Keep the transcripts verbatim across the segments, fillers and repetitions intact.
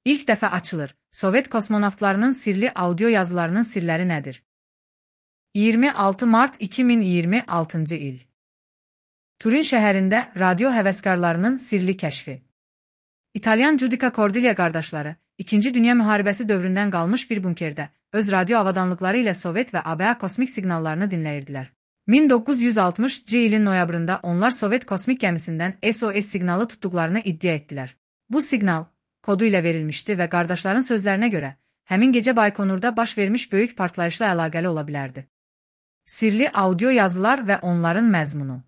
İlk dəfə açılır. Sovet kosmonavtlarının sirli audio yazılarının sirləri nədir? iyirmi altı mart iki min iyirmi altıncı il. Turin şəhərində radio həvəskarlarının sirli kəşfi. İtalyan Giudica Cordiglia qardaşları, İkinci Dünya müharibəsi dövründən qalmış bir bunkerdə öz radio avadanlıqları ilə Sovet və A B A kosmik siqnallarını dinləyirdilər. min doqquz yüz altmışıncı ilin noyabrında onlar Sovet kosmik gəmisindən S O S siqnalı tutduqlarını iddia etdilər. Bu siqnal kodu ilə verilmişdi və qardaşların sözlərinə görə, həmin gecə Baykonurda baş vermiş böyük partlayışla əlaqəli ola bilərdi. Sirli audio yazılar və onların məzmunu.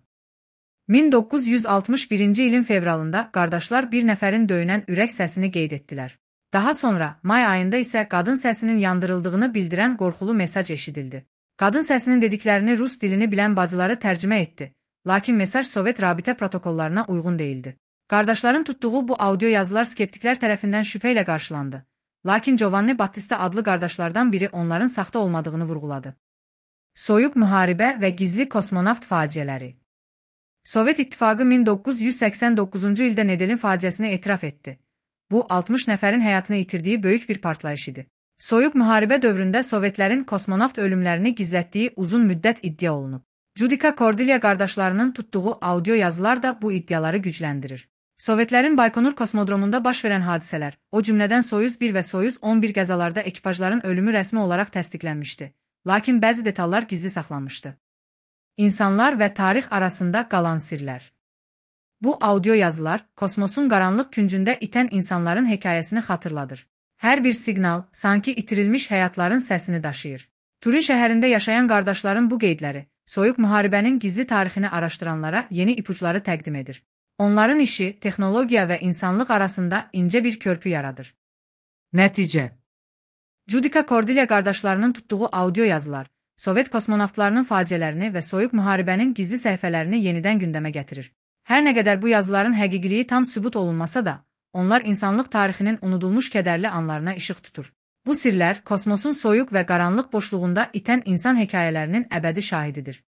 min doqquz yüz altmış birinci ilin fevralında qardaşlar bir nəfərin döyünən ürək səsini qeyd etdilər. Daha sonra, may ayında isə qadın səsinin yandırıldığını bildirən qorxulu mesaj eşidildi. Qadın səsinin dediklərini rus dilini bilən bacıları tərcümə etdi, lakin mesaj Sovet rabitə protokollarına uyğun değildi. Qardaşların tutduğu bu audio yazılar skeptiklər tərəfindən şübhə ilə qarşılandı, lakin Giovanni Battista adlı qardaşlardan biri onların saxta olmadığını vurğuladı. Soyuq müharibə və gizli kosmonavt faciələri. Sovet İttifaqı min doqquz yüz səksən doqquzuncu ildə Nedelin faciəsini etiraf etdi. Bu, altmış nəfərin həyatını itirdiyi böyük bir partlayış idi. Soyuq müharibə dövründə Sovetlərin kosmonavt ölümlərini gizlətdiyi uzun müddət iddia olunub. Giudica Cordiglia qardaşlarının tutduğu audio yazılar da bu iddiaları gücləndirir. Sovetlərin Baykonur kosmodromunda baş verən hadisələr, o cümlədən Soyuz bir və Soyuz on bir qəzalarda ekipajların ölümü rəsmi olaraq təsdiqlənmişdi, lakin bəzi detallar gizli saxlanmışdı. İnsanlar və tarix arasında qalan sirlər. Bu audio yazılar, kosmosun qaranlıq küncündə itən insanların hekayəsini xatırladır. Hər bir siqnal, sanki itirilmiş həyatların səsini daşıyır. Turin şəhərində yaşayan qardaşların bu qeydləri, soyuq müharibənin gizli tarixini araşdıranlara yeni ipuçları təqdim edir. Onların işi, texnologiya və insanlıq arasında incə bir körpü yaradır. Nəticə. Giudica Cordiglia qardaşlarının tutduğu audio yazılar, Sovet kosmonavtlarının faciələrini və soyuq müharibənin gizli səhifələrini yenidən gündəmə gətirir. Hər nə qədər bu yazıların həqiqiliyi tam sübut olunmasa da, onlar insanlıq tarixinin unudulmuş kədərli anlarına işıq tutur. Bu sirlər, kosmosun soyuq və qaranlıq boşluğunda itən insan hekayələrinin əbədi şahididir.